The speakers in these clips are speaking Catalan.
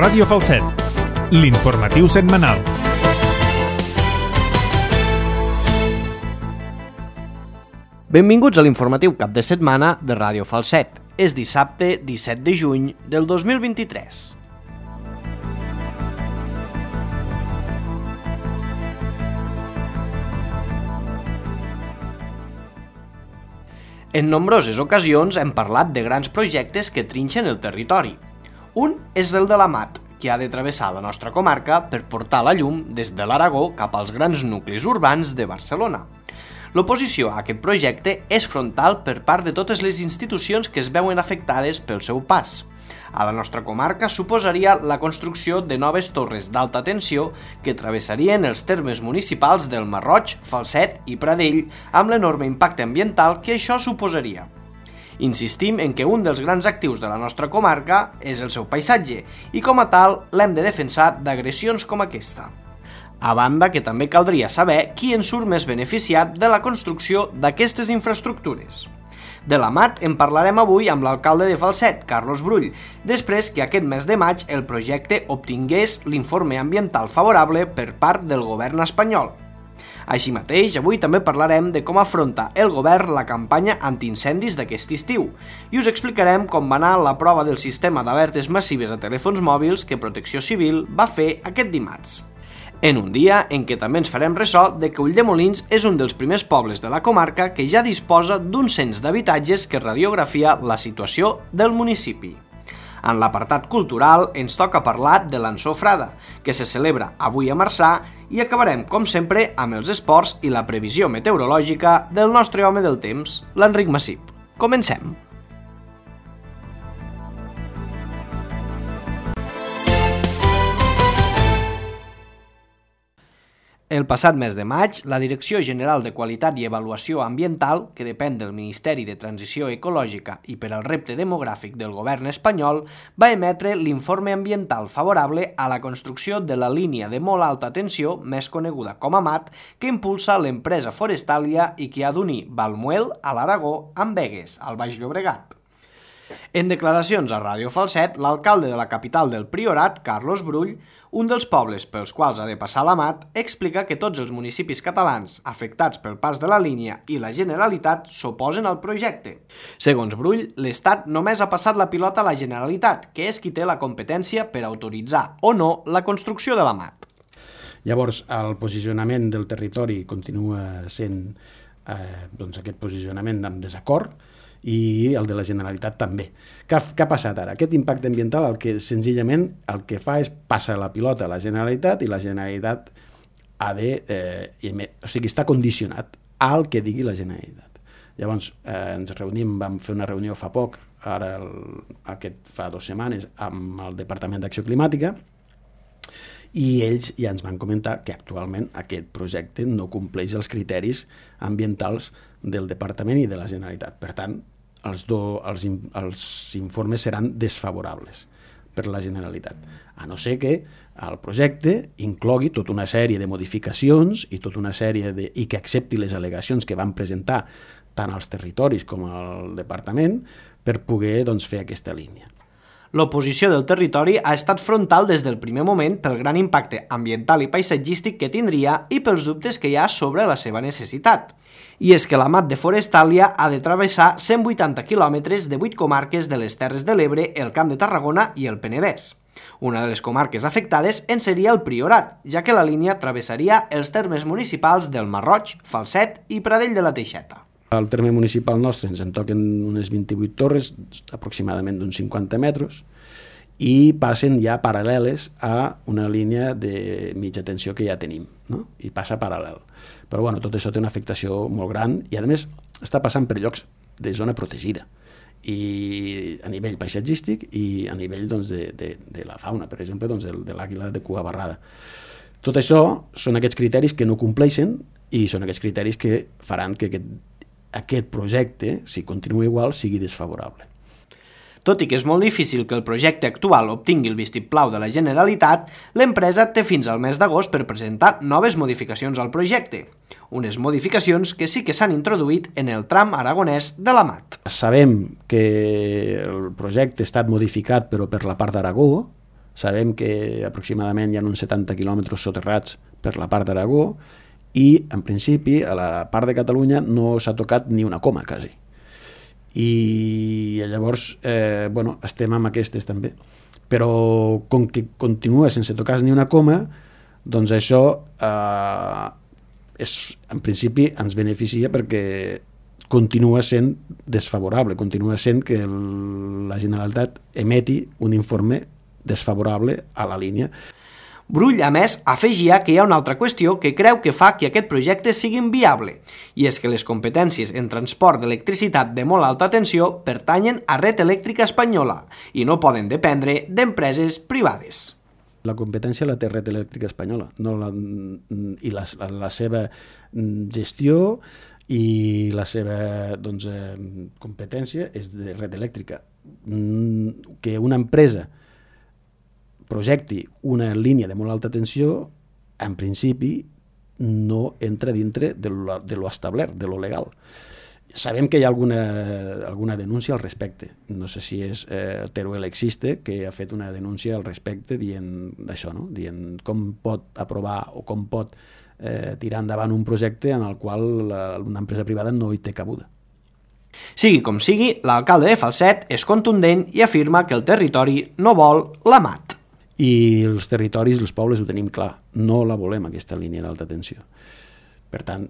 Ràdio Falset, l'informatiu setmanal. Benvinguts a l'informatiu cap de setmana de Ràdio Falset. És dissabte 17 de juny del 2023. En nombroses ocasions hem parlat de grans projectes que trinxen el territori. Un és el de la MAT, que ha de travessar la nostra comarca per portar la llum des de l'Aragó cap als grans nuclis urbans de Barcelona. L'oposició a aquest projecte és frontal per part de totes les institucions que es veuen afectades pel seu pas. A la nostra comarca suposaria la construcció de noves torres d'alta tensió que travessarien els termes municipals del Masroig, Falset i Pradell amb l'enorme impacte ambiental que això suposaria. Insistim en que un dels grans actius de la nostra comarca és el seu paisatge i com a tal l'hem de defensar d'agressions com aquesta. A banda que també caldria saber qui en surt més beneficiat de la construcció d'aquestes infraestructures. De la MAT en parlarem avui amb l'alcalde de Falset, Carlos Brull, després que aquest mes de maig el projecte obtingués l'informe ambiental favorable per part del govern espanyol. Així mateix, avui també parlarem de com afronta el govern la campanya antiincendis d'aquest estiu i us explicarem com va anar la prova del sistema d'alertes massives a telèfons mòbils que Protecció Civil va fer aquest dimarts. En un dia en què també ens farem ressò de que Ulldemolins és un dels primers pobles de la comarca que ja disposa d'un cens d'habitatges que radiografia la situació del municipi. En l'apartat cultural ens toca parlar de l'Ansofrada, que se celebra avui a Marçà, i acabarem, com sempre, amb els esports i la previsió meteorològica del nostre home del temps, l'Enric Massip. Comencem! El passat mes de maig, la Direcció General de Qualitat i Avaluació Ambiental, que depèn del Ministeri de Transició Ecològica i per al repte demogràfic del govern espanyol, va emetre l'informe ambiental favorable a la construcció de la línia de molt alta tensió, més coneguda com a MAT, que impulsa l'empresa Forestalia i que ha d'unir Valmuel, a l'Aragó, amb Begues, al Baix Llobregat. En declaracions a Ràdio Falset, l'alcalde de la capital del Priorat, Carlos Brull, un dels pobles pels quals ha de passar la MAT, explica que tots els municipis catalans afectats pel pas de la línia i la Generalitat s'oposen al projecte. Segons Brull, l'Estat només ha passat la pilota a la Generalitat, que és qui té la competència per autoritzar o no la construcció de la MAT. Llavors, el posicionament del territori continua sent aquest posicionament amb desacord, i el de la Generalitat també. Què ha passat ara? Aquest impacte ambiental senzillament el que fa és passar la pilota a la Generalitat i la Generalitat està condicionat al que digui la Generalitat. Llavors ens reunim, vam fer una reunió fa poc, fa 2 setmanes, amb el Departament d'Acció Climàtica, i ells ja ens van comentar que actualment aquest projecte no compleix els criteris ambientals del Departament i de la Generalitat. Per tant, els informes seran desfavorables per la Generalitat, a no ser que el projecte inclogui tota una sèrie de modificacions i i que accepti les al·legacions que van presentar tant als territoris com al Departament per poder fer aquesta línia. L'oposició del territori ha estat frontal des del primer moment pel gran impacte ambiental i paisatgístic que tindria i pels dubtes que hi ha sobre la seva necessitat. I és que la MAT de Forestalia ha de travessar 180 quilòmetres de 8 comarques de les Terres de l'Ebre, el Camp de Tarragona i el Penedès. Una de les comarques afectades en seria el Priorat, ja que la línia travessaria els termes municipals del Masroig, Falset i Pradell de la Teixeta. Al terme municipal nostre ens en toquen unes 28 torres, aproximadament d'uns 50 metres, i passen ja paral·leles a una línia de mitja tensió que ja tenim, no? I passa paral·lel. Però tot això té una afectació molt gran i, a més, està passant per llocs de zona protegida, i a nivell paisatgístic i a nivell de la fauna, per exemple, de l'àguila de cua barrada. Tot això són aquests criteris que no compleixen i són aquests criteris que faran que aquest projecte, si continua igual, sigui desfavorable. Tot i que és molt difícil que el projecte actual obtingui el vistiplau de la Generalitat, l'empresa té fins al mes d'agost per presentar noves modificacions al projecte. Unes modificacions que sí que s'han introduït en el tram aragonès de la MAT. Sabem que el projecte ha estat modificat però per la part d'Aragó, Sabem que aproximadament hi ha uns 70 quilòmetres soterrats per la part d'Aragó i, en principi, a la part de Catalunya no s'ha tocat ni una coma, quasi. I llavors, estem amb aquestes també. Però com que continua sense tocar ni una coma, doncs això en principi ens beneficia perquè continua sent desfavorable, continua sent que la Generalitat emeti un informe desfavorable a la línia. Brull, a més, afegia que hi ha una altra qüestió que creu que fa que aquest projecte sigui inviable, i és que les competències en transport d'electricitat de molt alta tensió pertanyen a Red Elèctrica Espanyola i no poden dependre d'empreses privades. La competència la té Red Elèctrica Espanyola, i la seva gestió i la seva competència és de Red Elèctrica. Que una empresa projecti una línia de molt alta tensió, en principi no entra dintre de lo establert, de lo legal. Sabem que hi ha alguna denúncia al respecte. No sé si és Teruel Existe, que ha fet una denúncia al respecte dient això, no? Dient com pot aprovar o com pot tirar endavant un projecte en el qual una empresa privada no hi té cabuda. Sigui com sigui, l'alcalde de Falset és contundent i afirma que el territori no vol la MAT. I els territoris, els pobles, ho tenim clar. No la volem, aquesta línia d'alta tensió. Per tant,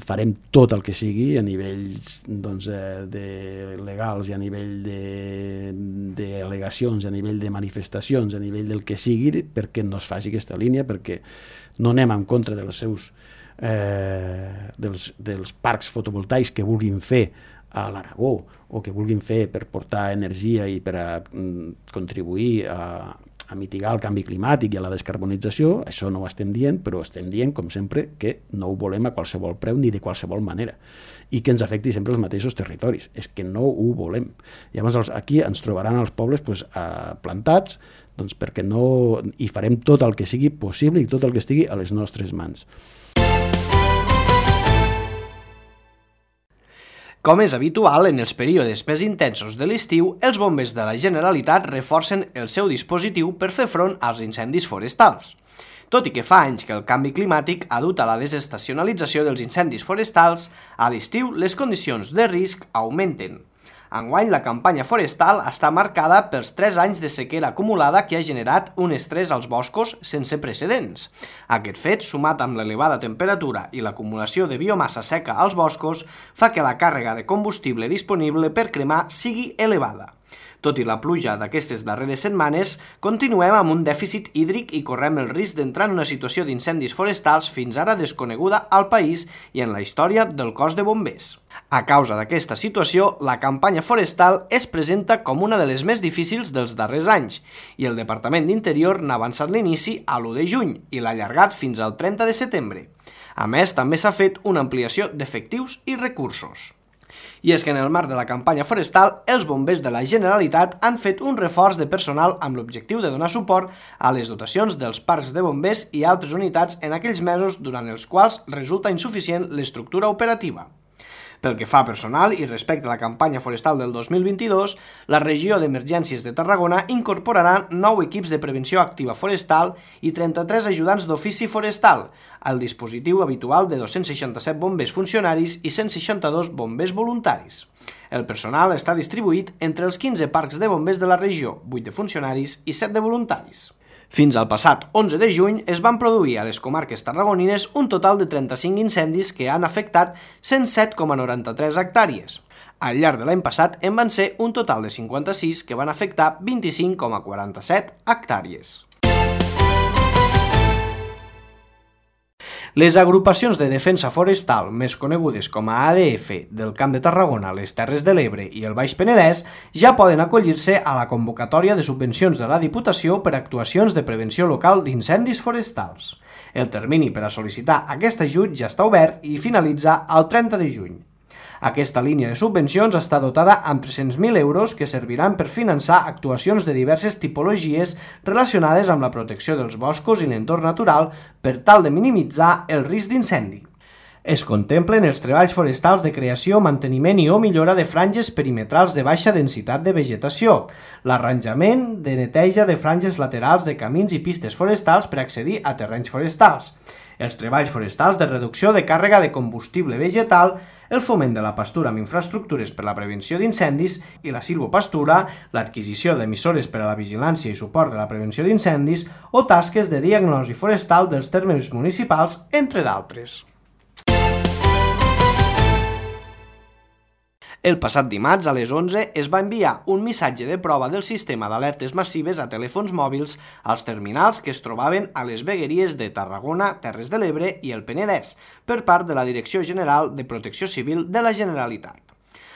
farem tot el que sigui a nivells legals i a nivell d'al·legacions, a nivell de manifestacions, a nivell del que sigui, perquè no es faci aquesta línia, perquè no anem en contra dels parcs fotovoltaics que vulguin fer a l'Aragó o que vulguin fer per portar energia i per a contribuir a mitigar el canvi climàtic i a la descarbonització. Això no ho estem dient, però estem dient, com sempre, que no ho volem a qualsevol preu ni de qualsevol manera i que ens afecti sempre els mateixos territoris. És que no ho volem. Llavors aquí ens trobaran els pobles plantats, perquè no hi farem tot el que sigui possible i tot el que estigui a les nostres mans. Com és habitual, en els períodes més intensos de l'estiu, els bombers de la Generalitat reforcen el seu dispositiu per fer front als incendis forestals. Tot i que fa anys que el canvi climàtic ha dut a la desestacionalització dels incendis forestals, a l'estiu les condicions de risc augmenten. Enguany, la campanya forestal està marcada pels 3 anys de sequera acumulada que ha generat un estrès als boscos sense precedents. Aquest fet, sumat amb l'elevada temperatura i l'acumulació de biomassa seca als boscos, fa que la càrrega de combustible disponible per cremar sigui elevada. Tot i la pluja d'aquestes darreres setmanes, continuem amb un dèficit hídric i correm el risc d'entrar en una situació d'incendis forestals fins ara desconeguda al país i en la història del cos de bombers. A causa d'aquesta situació, la campanya forestal es presenta com una de les més difícils dels darrers anys i el Departament d'Interior n'ha avançat l'inici a l'1 de juny i l'ha allargat fins al 30 de setembre. A més, també s'ha fet una ampliació d'efectius i recursos. I és que en el marc de la campanya forestal, els bombers de la Generalitat han fet un reforç de personal amb l'objectiu de donar suport a les dotacions dels parcs de bombers i altres unitats en aquells mesos durant els quals resulta insuficient l'estructura operativa. Pel que fa a personal i respecte a la campanya forestal del 2022, la regió d'emergències de Tarragona incorporarà 9 equips de prevenció activa forestal i 33 ajudants d'ofici forestal, al dispositiu habitual de 267 bombers funcionaris i 162 bombers voluntaris. El personal està distribuït entre els 15 parcs de bombers de la regió, 8 de funcionaris i 7 de voluntaris. Fins al passat 11 de juny es van produir a les comarques tarragonines un total de 35 incendis que han afectat 107,93 hectàrees. Al llarg de l'any passat en van ser un total de 56 que van afectar 25,47 hectàrees. Les agrupacions de defensa forestal, més conegudes com a ADF, del Camp de Tarragona, les Terres de l'Ebre i el Baix Penedès, ja poden acollir-se a la convocatòria de subvencions de la Diputació per actuacions de prevenció local d'incendis forestals. El termini per a sol·licitar aquest ajut ja està obert i finalitza el 30 de juny. Aquesta línia de subvencions està dotada amb 300.000 euros que serviran per finançar actuacions de diverses tipologies relacionades amb la protecció dels boscos i l'entorn natural per tal de minimitzar el risc d'incendi. Es contemplen els treballs forestals de creació, manteniment i o millora de franges perimetrals de baixa densitat de vegetació, l'arranjament de neteja de franges laterals de camins i pistes forestals per accedir a terrenys forestals, els treballs forestals de reducció de càrrega de combustible vegetal, el foment de la pastura amb infraestructures per a la prevenció d'incendis i la silvopastura, l'adquisició d'emissores per a la vigilància i suport de la prevenció d'incendis o tasques de diagnosi forestal dels termes municipals, entre d'altres. El passat dimarts a les 11 es va enviar un missatge de prova del sistema d'alertes massives a telèfons mòbils als terminals que es trobaven a les vegueries de Tarragona, Terres de l'Ebre i el Penedès per part de la Direcció General de Protecció Civil de la Generalitat.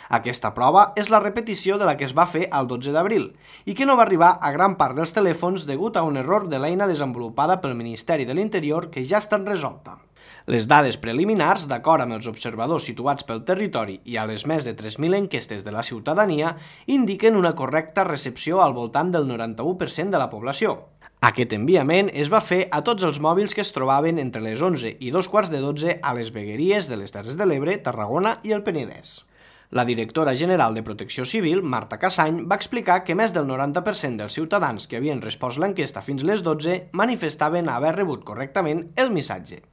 Aquesta prova és la repetició de la que es va fer el 12 d'abril i que no va arribar a gran part dels telèfons degut a un error de l'eina desenvolupada pel Ministeri de l'Interior que ja ha estat resolta. Les dades preliminars, d'acord amb els observadors situats pel territori i a les més de 3.000 enquestes de la ciutadania, indiquen una correcta recepció al voltant del 91% de la població. Aquest enviament es va fer a tots els mòbils que es trobaven entre les 11 i 2:15 a les vegueries de les Terres de l'Ebre, Tarragona i el Penedès. La directora general de Protecció Civil, Marta Cassany, va explicar que més del 90% dels ciutadans que havien respost l'enquesta fins les 12 manifestaven haver rebut correctament el missatge.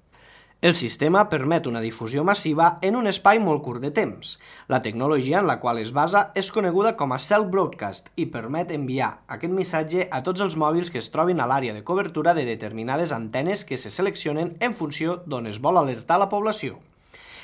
El sistema permet una difusió massiva en un espai molt curt de temps. La tecnologia en la qual es basa és coneguda com a Cell Broadcast i permet enviar aquest missatge a tots els mòbils que es trobin a l'àrea de cobertura de determinades antenes que se seleccionen en funció d'on es vol alertar la població.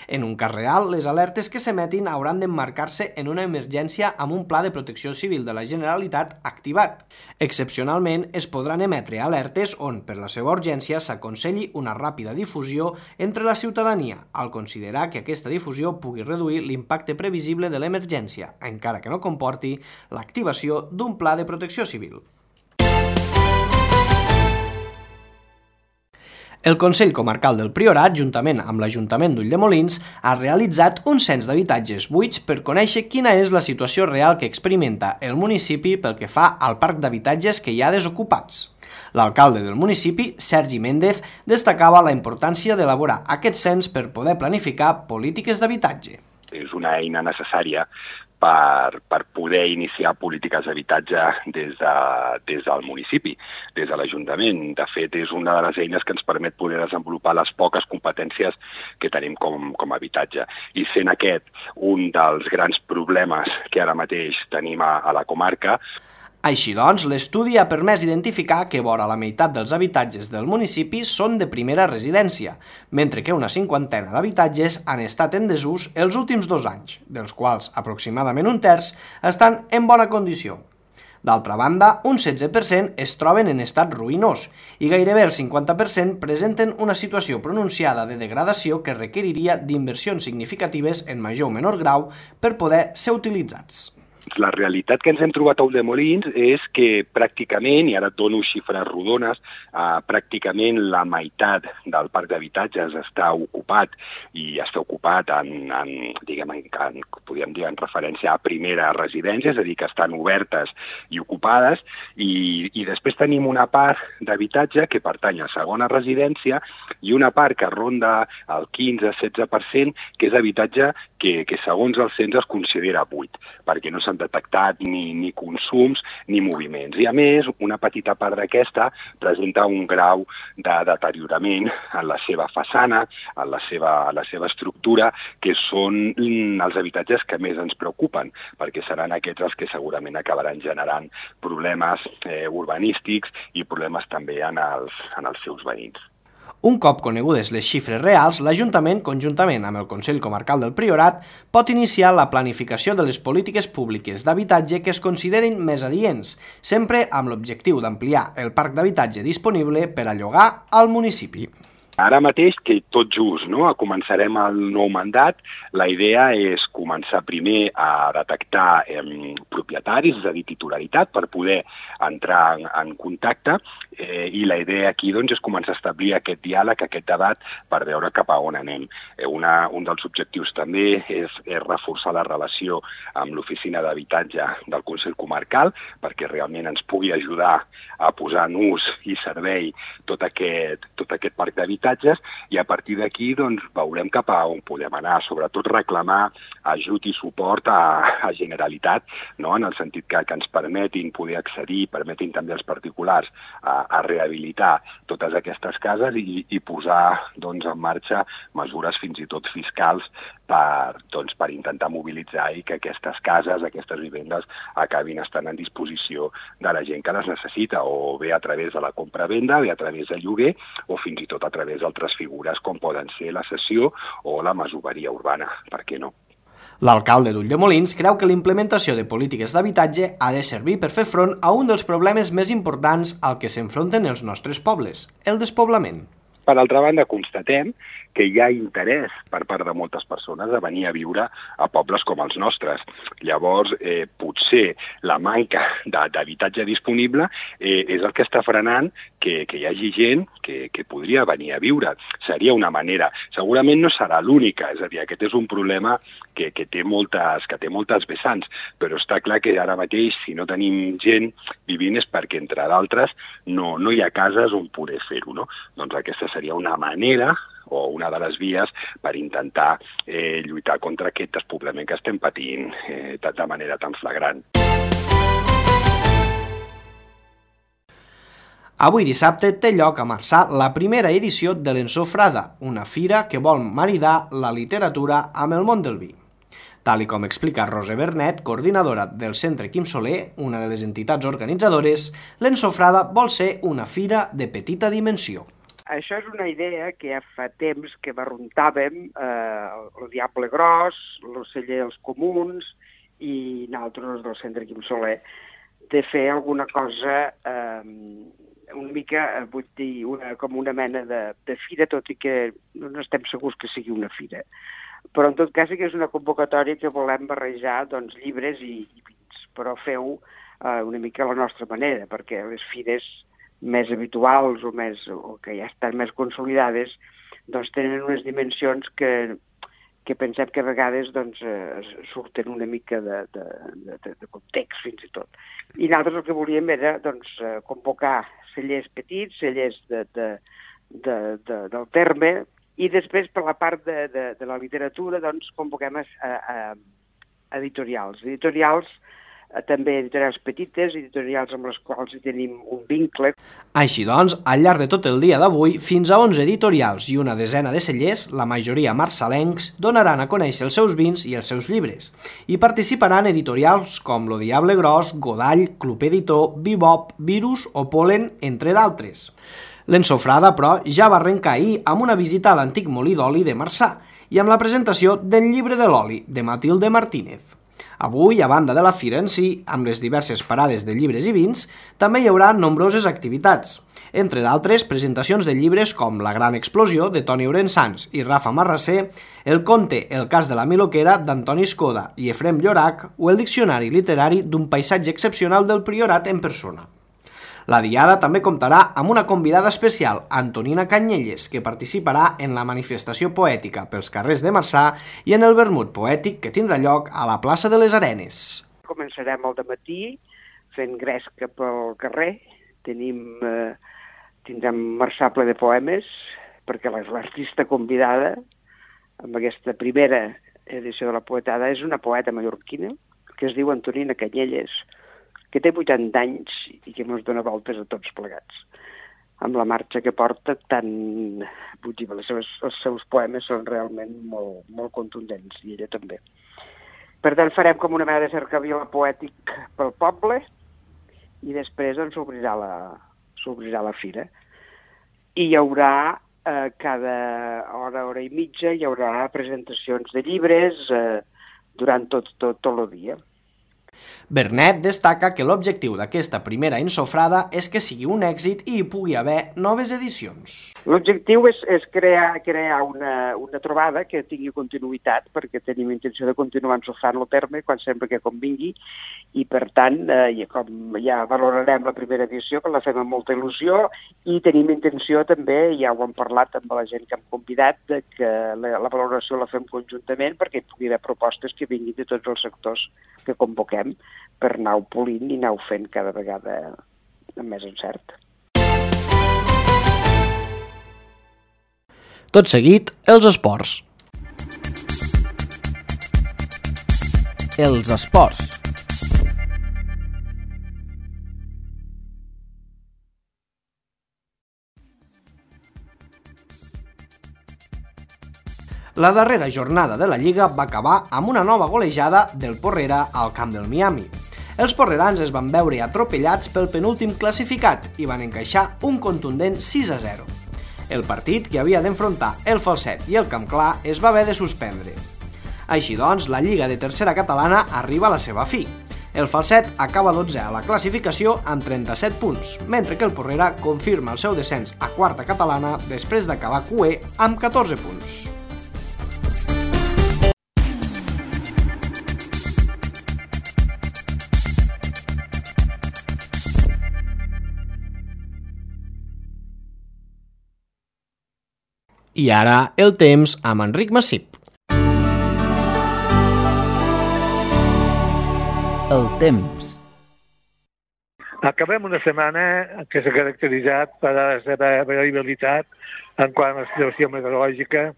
En un cas real, les alertes que s'emetin hauran d'emmarcar-se en una emergència amb un pla de protecció civil de la Generalitat activat. Excepcionalment, es podran emetre alertes on, per la seva urgència, s'aconselli una ràpida difusió entre la ciutadania, al considerar que aquesta difusió pugui reduir l'impacte previsible de l'emergència, encara que no comporti l'activació d'un pla de protecció civil. El Consell Comarcal del Priorat, juntament amb l'Ajuntament d'Ulldemolins, ha realitzat un cens d'habitatges buits per conèixer quina és la situació real que experimenta el municipi pel que fa al parc d'habitatges que hi ha desocupats. L'alcalde del municipi, Sergi Méndez, destacava la importància d'elaborar aquest cens per poder planificar polítiques d'habitatge. És una eina necessària per poder iniciar polítiques d'habitatge des del municipi, des de l'Ajuntament. De fet, és una de les eines que ens permet poder desenvolupar les poques competències que tenim com a habitatge. I sent aquest un dels grans problemes que ara mateix tenim a la comarca. Així doncs, l'estudi ha permès identificar que vora la meitat dels habitatges del municipi són de primera residència, mentre que una 50ena d'habitatges han estat en desús els últims 2 anys, dels quals aproximadament un terç estan en bona condició. D'altra banda, un 16% es troben en estat ruïnós i gairebé el 50% presenten una situació pronunciada de degradació que requeriria d'inversions significatives en major o menor grau per poder ser utilitzats. La realitat que ens hem trobat a Ulldemolins és que pràcticament, i ara et dono xifres rodones, pràcticament la meitat del parc d'habitatges està ocupat i està ocupat podríem dir, en referència a primera residència, és a dir, que estan obertes i ocupades, i després tenim una part d'habitatge que pertany a segona residència i una part que ronda el 15-16%, que és habitatge que segons el cens es considera buit, perquè no s'han detectat ni consums ni moviments. I a més, una petita part d'aquesta presenta un grau de deteriorament en la seva façana, en la seva estructura, que són els habitatges que més ens preocupen, perquè seran aquests els que segurament acabaran generant problemes urbanístics i problemes també en els seus veïns. Un cop conegudes les xifres reals, l'Ajuntament, conjuntament amb el Consell Comarcal del Priorat, pot iniciar la planificació de les polítiques públiques d'habitatge que es considerin més adients, sempre amb l'objectiu d'ampliar el parc d'habitatge disponible per a llogar al municipi. Ara mateix, que tot just començarem el nou mandat, la idea és començar primer a detectar propietaris, és a dir, titularitat, per poder entrar en contacte I la idea aquí és començar a establir aquest diàleg, aquest debat, per veure cap a on anem. Un dels objectius també és reforçar la relació amb l'oficina d'habitatge del Consell Comarcal, perquè realment ens pugui ajudar a posar en ús i servei tot aquest parc d'habitatges, i a partir d'aquí veurem cap a on podem anar, sobretot reclamar ajut i suport a Generalitat, no? En el sentit que ens permetin poder accedir, permetin també als particulars a rehabilitar totes aquestes cases i posar en marxa mesures fins i tot fiscals per intentar mobilitzar i que aquestes cases, aquestes vivendes acabin estant en disposició de la gent que les necessita, o bé a través de la compra-venda, bé a través de lloguer, o fins i tot a través d'altres figures com poden ser la cessió o la masoveria urbana, per què no? L'alcalde d'Ulldemolins creu que la implementació de polítiques d'habitatge ha de servir per fer front a un dels problemes més importants al que s'enfronten els nostres pobles, el despoblament. Per altra banda, constatem que hi ha interès per part de moltes persones a venir a viure a pobles com els nostres. Llavors, potser la manca d'habitatge disponible és el que està frenant que hi hagi gent que podria venir a viure. Seria una manera. Segurament no serà l'única, és a dir, aquest és un problema que té moltes vessants, però està clar que ara mateix, si no tenim gent vivint, és perquè, entre d'altres, no hi ha cases on poder fer-ho, no? Doncs aquesta seria una manera o una de les vies per intentar lluitar contra aquest despoblament que estem patint de manera tan flagrant. Avui dissabte té lloc a Marçà la primera edició de l'Ensofrada, una fira que vol maridar la literatura amb el món del vi. Tal com explica Rosa Bernet, coordinadora del Centre Quim Soler, una de les entitats organitzadores, l'Ensofrada vol ser una fira de petita dimensió. Això és una idea que ja fa temps que barruntàvem, el Diable Gros, l'Oceller dels Comuns i nosaltres del Centre Quim Soler, de fer alguna cosa una mica, vull dir, com una mena de fira, tot i que no estem segurs que sigui una fira. Però en tot cas sí que és una convocatòria que volem barrejar llibres i vins, però feu una mica a la nostra manera, perquè les fires més habituals o que ja estan més consolidades tenen unes dimensions que pensem que a vegades surten una mica de context fins i tot. I nosaltres el que volíem era convocar cellers petits, cellers del terme, i després per la part de la literatura convoquem editorials. També editorials petites, editorials amb les quals hi tenim un vincle. Així doncs, al llarg de tot el dia d'avui, fins a 11 editorials i una desena de cellers, la majoria marçalencs, donaran a conèixer els seus vins i els seus llibres. Hi participaran editorials com Lo Diable Gros, Godall, Club Editor, Bebop, Virus o Polen, entre d'altres. L'Ensofrada, però, ja va arrencar ahir amb una visita a l'antic molí d'oli de Marçà i amb la presentació del llibre de l'oli, de Matilde Martínez. Avui, a banda de la fira en si, amb les diverses parades de llibres i vins, també hi haurà nombroses activitats. Entre d'altres, presentacions de llibres com La gran explosió, de Toni Orensanz i Rafa Marrasser, el conte El cas de la Miloquera, d'Antoni Escoda i Efrem Llorac, o el diccionari literari d'un paisatge excepcional del Priorat en persona. La diada també comptarà amb una convidada especial, Antonina Canyelles, que participarà en la manifestació poètica pels carrers de Marçà i en el vermut poètic que tindrà lloc a la plaça de les Arenes. Començarem al dematí fent gresca pel carrer. Tindrem Marçà ple de poemes, perquè l'artista convidada amb aquesta primera edició de la poetada és una poeta mallorquina que es diu Antonina Canyelles, que té 80 anys i que ens dona voltes a tots plegats. Amb la marxa que porta, els seus poemes són realment molt, molt contundents, i ella també. Per tant, farem com una mena de cercavila poètic pel poble i després s'obrirà la fira. I hi haurà cada hora i mitja, hi haurà presentacions de llibres durant tot el dia. Bernet destaca que l'objectiu d'aquesta primera ensofrada és que sigui un èxit i hi pugui haver noves edicions. L'objectiu és crear una trobada que tingui continuïtat, perquè tenim intenció de continuar ensofrant el terme quan sempre que convingui, i per tant, com ja valorarem la primera edició, que la fem amb molta il·lusió, i tenim intenció també, ja ho hem parlat amb la gent que hem convidat, de que la valoració la fem conjuntament perquè hi pugui haver propostes que vinguin de tots els sectors que convoquem per anar-ho polint i anar-ho fent cada vegada amb més encert. Tot seguit, els esports. Els esports. La darrera jornada de la Lliga va acabar amb una nova golejada del Porrera al camp del Miami. Els porrerans es van veure atropellats pel penúltim classificat i van encaixar un contundent 6-0. El partit, que havia d'enfrontar el Falset i el Camp Clar, es va haver de suspendre. Així doncs, la Lliga de Tercera Catalana arriba a la seva fi. El Falset acaba 12è a la classificació amb 37 punts, mentre que el Porrera confirma el seu descens a Quarta Catalana després d'acabar cuer amb 14 punts. I ara el temps amb Enric Massip. El temps. Acabem una setmana que s'ha caracteritzat per la seva variabilitat en quant a la situació meteorològica,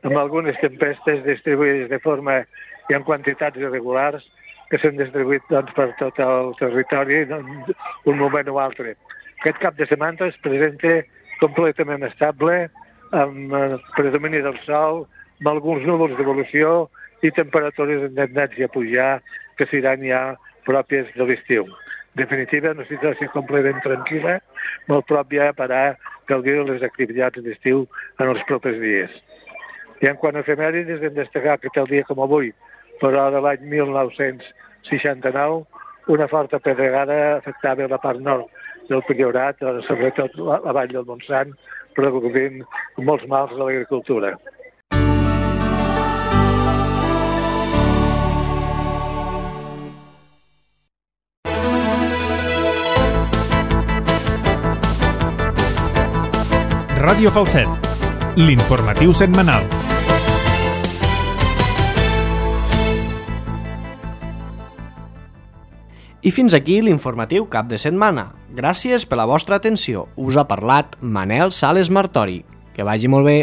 amb algunes tempestes distribuïdes de forma i en quantitats irregulars que s'han distribuït per tot el territori un moment o altre. Aquest cap de setmana es presenta completament estable, amb el predomini del sol, amb alguns núvols d'evolució i temperatures en tendència a pujar que seran ja pròpies de l'estiu. En definitiva, una situació completament tranquil·la, molt pròpia per a gaudir de les activitats d'estiu en els propers dies. I en quant a efemèrides, hem destacat que tal dia com avui, però de l'any 1969, una forta pedregada afectava la part nord del Priorat, sobretot la vall del Montsant, produint molts mals a l'agricultura. Ràdio Falset, l'informatiu setmanal. I fins aquí l'informatiu cap de setmana. Gràcies per la vostra atenció. Us ha parlat Manel Sales Martori. Que vagi molt bé.